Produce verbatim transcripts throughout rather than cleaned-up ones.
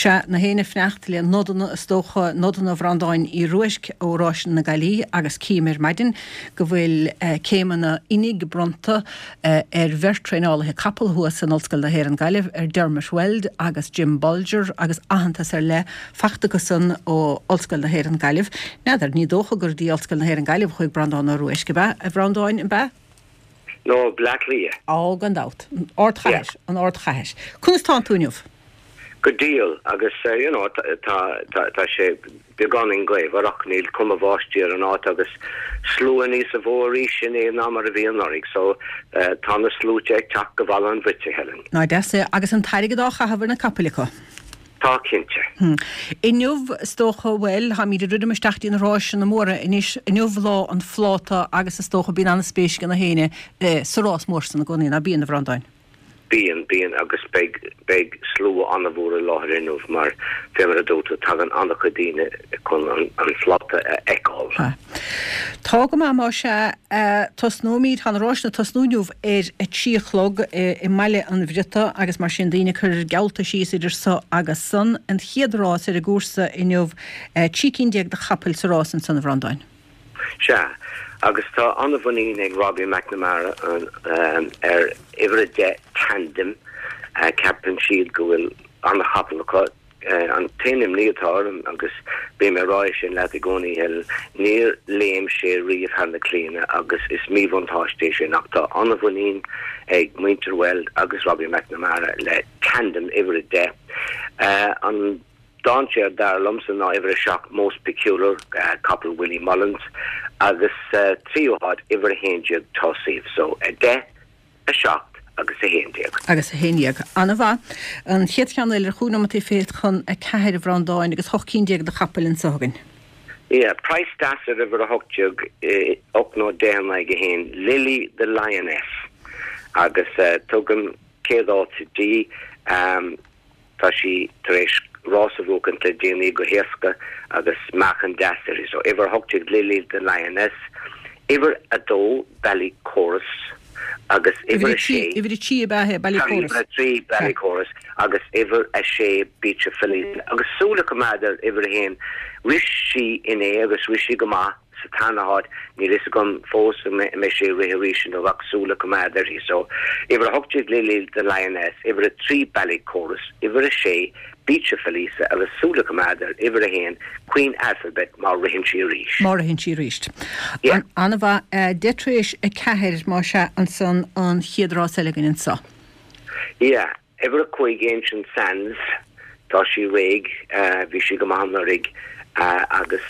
Sea, na héinne ag fanacht le nodanna is dócha, nodanna Bhreandáin Uí Ruaisc ó Ráiseanna na Gaillimhe agus cím ar maidin go bhfuil céimeanna oinigh bronnta ar bheirt traenálaithe capall thuas in Ollscoil na hÉireann Gaillimh, ar Dermot Weld agus Jim Bolger agus aitheantas ar leith fachta acusan ó Ollscoil na hÉireann Gaillimh. N'fheadar, ní dócha gur dtí Ollscoil na hÉireann Gaillimh a chuaigh Breandán Ó Ruaisc, ab ea, a Bhreandáin, ab ea? No, Bleá Cliath. Á, gan dabht. An ardchathair, an ardchathair. Conas tánn tú inniu? Go diail agus you know tá tá tá sé beagáinín gaofar ach níl cuma bháistí ar an áit agus slua níos mó arís inné ná mar a bhí anuraidh so tá na sluaite ag teacht go Bhaile an Bhuite, Helen. Ná deas é agus an t-airgead á chaitheamh ar na capaill acu. Tá cinnte. Hmm. Inniu is dócha bhuel táimid ag druidim isteach dtí na ráiseanna móra anois inniu lá an phláta agus is dócha bíonn an-spéis ag na héinne sa rás mór san i gcónaí, ná bíonn a Bhreandáin? Bíonn, bíonn agus beidh beidh slua an-mhór i láthair inniu mar fé mar a dúirt tú tagann an-chuid daoine chun an an phláta a fheiceáil. Tá go maith más ea. Tosnóimid, tá na ráiseanna ag tosnú inniu ar a trí a chlog i mBaile an Bhriotaigh agus mar sin daoine ag cur geallta síos idir so agus san. An chéad rás ar an gcúrsa inniu, trí cinn déag de chapaill sa rás ansan a Bhreandáin. Sea, agus tá an-mhuinín ag Robbie McNamara ar uimhir a deich Tandem. Ceapann siad go bhfuil an-chapall acu. An t-aon imní atá orm, agus bím ag rá é sin leat i gcónaí, Helen, níor léim sé riamh thar na claíonna agus is míbhuntáiste é sin ach tá an-mhuinín ag muintir Weld agus Robbie McNamara le Tandem uimhir a deich. An Dainséar dar liomsa ná uimhir a seacht Most Peculiar, capall Willie Mullins, agus sa tríú háit uimhir a haon déag Tauseef. So a deich, a seacht agus a haon déag. Agus a haon déag. An-mhaith. An chéad cheann eile ar chúig nóimeataí fichead chun a ceathair a Bhreandáin agus hocht cinn déag de chapaill anso againn. Yeah, praghas deas ar uimhir a hocht déag, ocht nó deich in aghaidh a haon, Lily the Lioness agus tugaim céad áit di. Tá sí tar éis rás a bhuachaint le déanaí go héasca agus meáchan deas uirthi. So, uimhir a hocht déag Lily the Lioness, uimhir a dó Ballycorus agus uimhir a sé. Uimhir a trí ab ea é, Ballycorus? Sorry, uimhir a trí Ballycorus agus uimhir a sé Beach of Felice. Agus súil a choimeád ar uimhir a haon, rith sí inné agus rith sí go maith. sa tarna háit, níl fhios agam fós an mbeidh sí ag rith arís inniu ach súil a choimeád uirthi. So, uimhir a hocht déag Lily the Lioness, uimhir a trí Ballycorus, uimhir a sé Beach of Felice agus súil a choimeád ar uimhir a haon Queen Alphabet má ritheann sí arís. Má ritheann sí arís. Yeah. An-mhaith. Deich tar éis a ceathair, más ea, ansan an chéad rás eile againn anso. Yeah. Uimhir a cúig Ancient Sands, tá sí réidh, bhí sí go maith anuraidh agus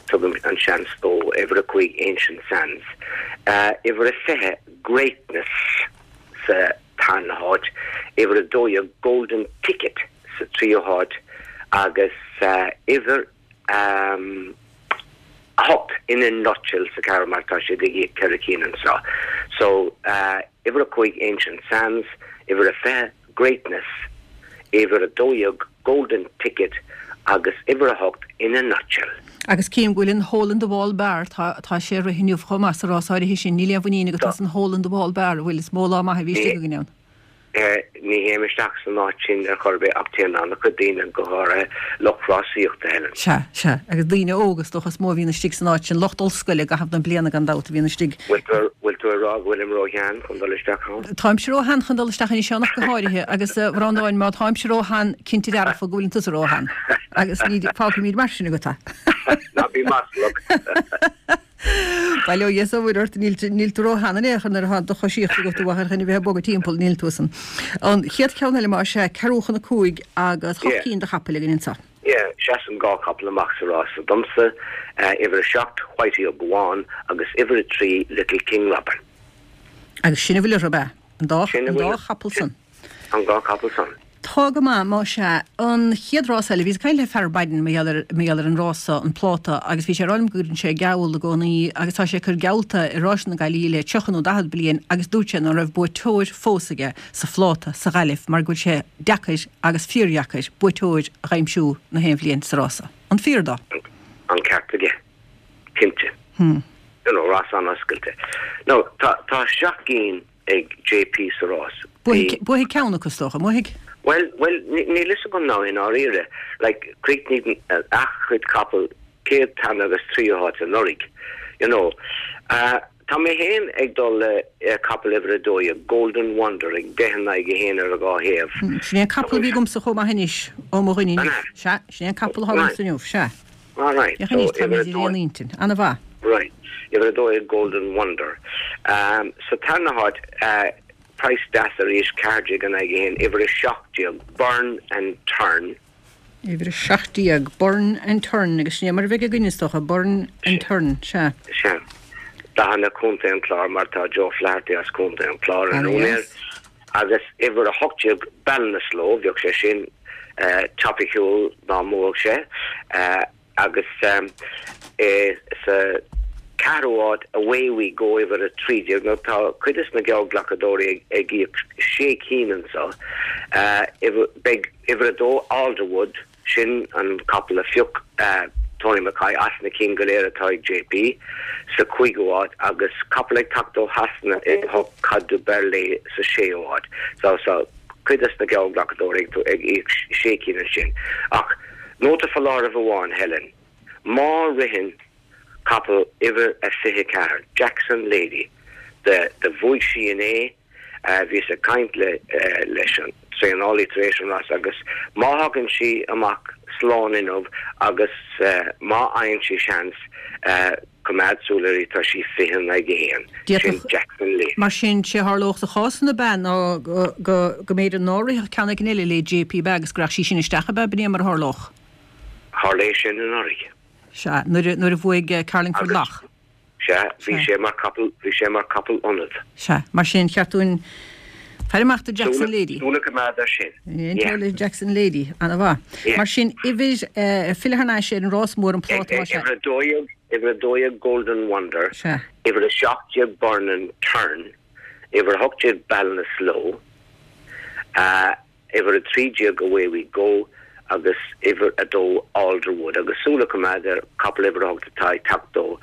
tugaim an seans dó. Uimhir a cúig Ancient Sands. Uimhir a fiche Greatness sa tarna háit. Uimhir a dó dhéag Golden Ticket sa tríú háit agus uimhir a hocht In a Nutshell sa ceathrú mar tá siad ag íoc ceithre cinn anseo. So, uimhir a cúig Ancient Sands, uimhir a fiche Greatness, uimhir a dó dhéag Golden Ticket agus uimhir a hocht In a Nutshell. Agus cím go bhfuil an Hole in the Wall Bar, tá tá sé ag rith inniu chomh maith sa rás áirithe sin, níl aon mhuinín agat as an Hole in the Wall Bar, an bhfuil? Is mó lá maith a bhí istigh againn ann. Ní théim isteach san áit sin ar chor ar bith ach téann an-chuid daoine, go háirithe lucht rásaíochta, Helen. Sea, sea. Agus daoine óga is dócha is mó a bhíonn istigh san áit sin, lucht ollscoile i gcaitheamh na bliana gan dabht a bhíonn istigh. Bhfuil tú, bhfuil tú ag rá go bhfuilim ró-shean chun dul isteach ann? Táimse ró-shean chun dul isteach anois ann ach go háirithe agus a Bhreandáin, má táimse ró-shean, cinnte dearfa go bhfuileann tusa ró-shean. Agus ní, fágfaimid mar sin agat é. Ná bí maslach. Bail ó Dhia 's ó Mhuire ort, níl níl tú ró-shean in aon chor nuair atá do choisíocht agat a mháthair chun a bheith ag bogadh timpeall, níl tú san. An chéad cheann eile más ea, ceathrú chun a cúig agus hocht cinn de chapaill againn anseo. Yeah, seasann dhá chapall amach sa rás so domsa, uimhir a seacht, Whitey O'Gowan agus uimhir a trí, Little King Robin. Agus sin a bhfuil orthu, ab ea? An dá an dá chapall san. An dá chapall san. Tá go maith, más ea. An chéad rás eile, bhíos ag caint le fear ar maidin mar gheall ar, mar gheall ar an rás so, an pláta, agus bhí sé ag rá liom go gcuireann sé geall i gcónaí agus tá sé ag cur geallta i Ráiseanna na Gaillimhe le tríocha nó daichead bliain agus dúirt sé ná raibh buaiteoir fós aige sa phláta sa Ghaillimh mar go bhfuil sé deacair agus fíordheacair buaiteoir a dh'aimsiú na haon bhliain sa rás so. An fíor dó? An ceart aige. Cinnte. You know, rás an-oscailte. Now, tá, tá seacht gcinn ag JP sa rás. Buafaidh ceann acu, is dócha, an mbuafaidh? Well, well, níl fhios agam ná i ndáiríre. Like, chríochnaigh a chuid capall céad, tarna agus tríú háit anuraidh. You know. Uh, tá mé féin ag dul le uh, capall uimhir a dó dhéag, Golden Wonder ag deich in aghaidh a haon ar a dhá thaobh. Hmm, sin é an capall a bhí agamsa chomh maith anois ó mo dhuine inniu. Sea, sin é an capall atá agamsa inniu, sea. All right. Féach anois, tá muid ar aon intinn. An-mhaith. Right. Uimhir a dó dhéag Golden Wonder. Um, sa tarna háit, uh, praghas deas arís ceathair déag in aghaidh a haon, uimhir a seacht déag, Burn and Turn. Uimhir a seacht déag, Burn and Turn, agus sin é mar a bheidh againn is dócha, Burn and Turn, sea. Sea. Dathanna Contae an Chláir mar tá Joe Flaherty as Contae an Chláir an úinéir. Agus uimhir a hocht déag, Ballinasloe, bheadh sé sin topiciúil dá mbuafadh sé. Agus sa ceathrú háit, Away We Go, uimhir a trí déag, nó tá cuid de na geallghlacadóirí ag íoc sé cinn anseo. Beidh uimhir a dó, Alderwood, sin an capall a phioc Tony McCoy as na cinn go léir atá ag JP, sa cúigiú háit agus capall ag teacht ó Shasana uimhir a hocht Cad du Berlais sa séú háit. So so cuid de na geallghlacadóirí ag íoc sé cinn ansin. Ach nóta foláirimh amháin, Helen, má ritheann capall uimhir a fiche ceathair, Jackson Lady, do do bhuaigh sí inné, bhíos ag caint le leis an traenálaí tar éis an rás agus má thagann sí amach slán inniu agus má fhaigheann sí seans, coimeád súil uirthi, tá sí fiche in aghaidh a haon. Sin Jackson Lady. Mar sin, sé a tharlódh sa chás san ab ea ná go go mb'fhéidir ná rithfeadh ceann éigin eile le JP ab ea agus go rachadh sí sin isteach ab ea, b'in é mar a tharlódh. Tharla é sin anuraidh. Sea, nuair a nuair a bhuaigh Carlingford Lough. Sea, bhí sé mar capall, bhí sé mar capall ionad. Sea, mar sin, cheart dúinn faire amach do Jackson Lady. Súil a choimeád air sin. Yeah. Le Jackson Lady, an-mhaith. Yeah. Mar sin, uimhir, filleadh thar n-ais ar an rás mór an pláta más ea. Uimhir a dó dhéag, uimhir a dó dhéag Golden Wonder. Sea. Uimhir a seacht déag Burn and Turn, uimhir a hocht déag Ballinasloe, uimhir a trí déag Away We Go agus uimhir a dó Alderwood agus súil a choimeád ar capall uimhir a hocht atá ag teacht ó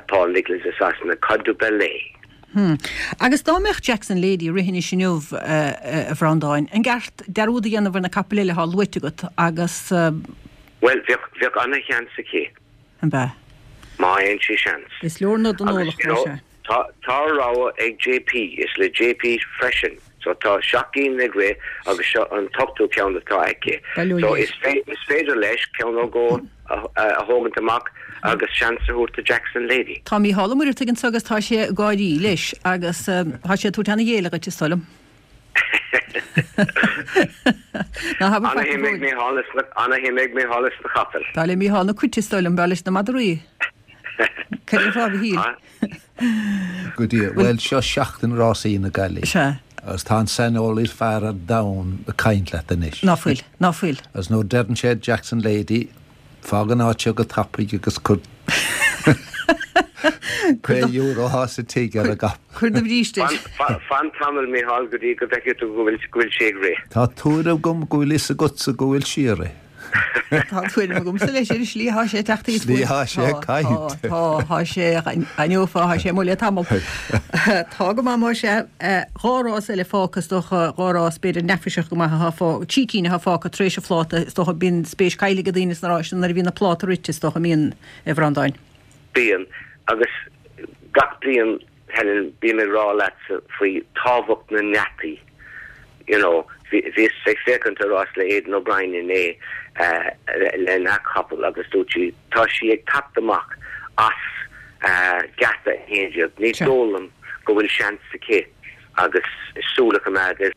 Paul Nicholls i Sasana, Cas du Berlais. Hmm. Agus dá mbeadh Jackson Lady ag rith anois inniu, a Bhreandáin, an gceart dearúd a dhéanamh ar na capaill eile atá luaite agat agus. Bhuel, bheadh, bheadh ana-sheans aici. An bea? Má fhaigheann sí seans. Is leor nod don eolach, más ea. Tá, tá rogha ag JP, is le JP freisin. So tá seacht gcinn ag rith agus seo an t-ochtú ceann atá aici. So is is féidir leis ceann nó dhó a thógaint amach agus seans a thabhairt do Jackson Lady. Tá Mícheál Ó Muircheartaigh anseo agus tá sé ag gáirí leis agus tá sé ag tabhairt ana-ghéilleadh dhuit is dóigh liom. Ná habair faic Ana-shuim ag Mícheál is ana-shuim ag Mícheál is na capaill. B'fhearr le Mícheál na cait is dóigh liom, b'fhearr leis na madraí. Cad é fá Mhichíl? Go dtí, bhuel, seo seachtain rásaí na Gaillimhe. Sea. Agus tá an saineolaí is fearr ar domhan ag caint leat anois. Ná fuil, ná fuil. Agus nuair a deireann sé Jackson Lady, fág an áit seo go tapaidh agus cuir pé euro atá sa tigh ar an gcapall. Cuir do bhríste air. Fan tamall, Micheál, go dtí go bhfeicfidh tú go bhfuil sí ag rith. Tá tuairim agam go bhfuil fhios agatsa go bhfuil sí ag rith. Tá tuairim agamsa leis ar an slí atá sé ag teacht thíos Slí atá sé ag caint. Tá, tá sé, aithneofá, tá sé amuigh le tamall. Tá go maith más ea. Dhá rás eile fágtha is dócha, dhá rás b'fhéidir neafaiseach go maith atá fágtha, trí cinn atá fágtha tar éis an phláta, is dócha bíonn spéis caillte ag daoine sna ráis nuair a bhíonn an pláta rite is dócha, an mbíonn, a Bhreandáin? Bíonn, agus gach bliain, Helen, bím ag rá leatsa faoi tábhacht na ngeataí. You know, bhíos ag féachaint ar rás le Aidan O'Brien inné lena chapall agus dúirt sí, tá sí ag teacht amach as geata a haon déag, ní dóigh liom go bhfuil seans aici agus súil a choimeád ar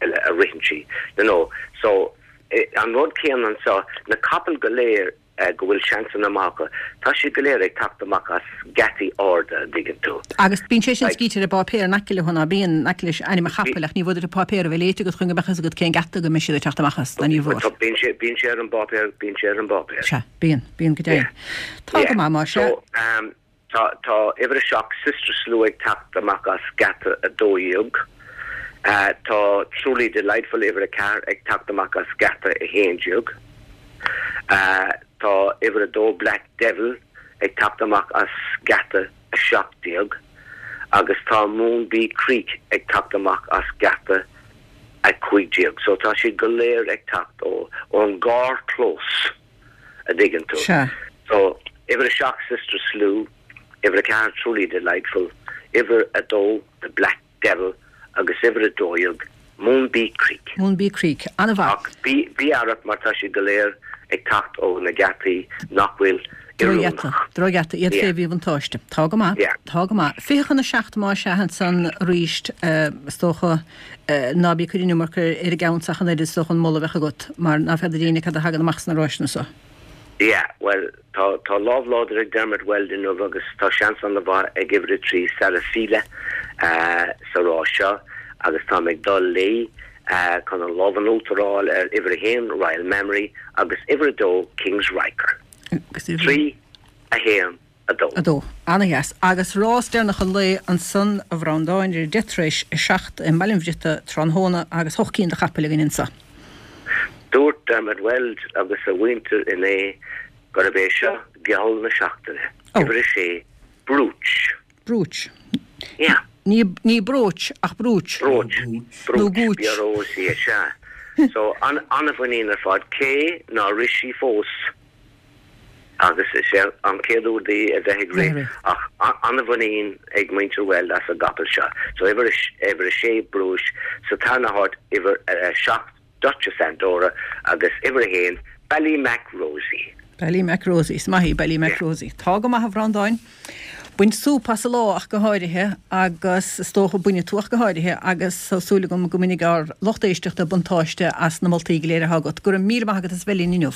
eile a ritheann sí, you know. So, an rud céanna anseo, na capaill go léir, go bhfuil seansanna maith acu. Tá siad go léir ag teacht amach as geataí arda, an dtuigeann tú. Agus bíonn sé sin scríte ar an bpáipéar in aice leo, ná bíonn, in aice leis ainm an chapaill, ach ní mhór duit an páipéar a bheith léite agat chun go mbeadh fhios agat cén geata go mbeidh siad ag teacht amach as, ná ní mhór. Bíonn sé, bíonn sé ar an bpáipéar, bíonn sé ar an bpáipéar. Sea, bíonn, bíonn go deimhin. Tá go maith, más ea. So, tá, tá uimhir a seacht, Sister Slew ag teacht amach as geata a dó dhéag. Tá Truly Delightful, uimhir a ceathair, ag teacht amach as geata a haon déag. Tá uimhir a dó Black Devil ag teacht amach as geata a seacht déag agus tá Moonbee Creek ag teacht amach as geata a cúig déag. So tá siad go léir ag teacht ó ón gcarrchlós a dtuigeann tú. Sea. So uimhir a seacht Sister Slew, uimhir a ceathair Truly Delightful, uimhir a dó The Black Devil agus uimhir a dó dhéag Moonbee Creek. Moonbee Creek. An-mhaith. Ach bí bí aireach mar tá siad go léir ag teacht ó na geataí nach bhfuil Drochgheata, oiriúnach. drochgheata, iad Yeah. fé mhíbhuntáiste. Tá go maith, Yeah. tá go maith. Fiche chun a seacht má sea ansan arís is dócha ná bí ag cur an iomarca ar an gceann ach an oiread is dócha an moladh a bheadh agat, mar ná feadar éinne cad a thagann amach sna ráiseanna seo. Yeah, well, tá tá lámh láidir ag Dermot Weld inniu agus tá seans an-mhaith ag uimhir a trí Sarafila uh, sa rás seo agus tá ag dul léi uh, chun an lámh in uachtar a fháil ar uimhir a haon Royal Memory agus uimhir a dó Kings Riker. Agus uimhir- Trí a haon a dó. a dó. Ana-dheas. Agus rás deireanach an lae ansan a Bhreandáin ar deich tar éis a seacht i mBaile an Bhriotaigh tráthnóna agus hocht cinn de chapaill againn anseo. Dúirt Dermot Weld agus a mhuintir inné gurb é seo geall na seachtaine. Oh. Uimhir a sé Brooch. Brooch. Yeah. Ní ní brooch ach brooch. Brooch. Nó Brooch. gooch. B-R-O-C sea. So an an-mhuinín ar fad cé nár rith sí fós agus is é an chéad uair di a bheith ag rith Rith. ach an-mhuinín ag muintir Weld as an gcapall seo. So uimhir uimhir a sé Brooch sa tarna háit uimhir a seacht Duchess Andorra agus uimhir a haon Ballymac Rosie. Ballymac Rosie, is maith í Ballymac Yeah. Rosie. Tá go maith a Bhreandáin. Bain súp as an lá ach go háirithe agus is dócha bainfidh tú ach go háirithe agus tá súil agam go mbainfidh ár lucht éisteachta buntáiste as na moltaí go léir atá agat. Go raibh míle maith agat as bheith linn inniu.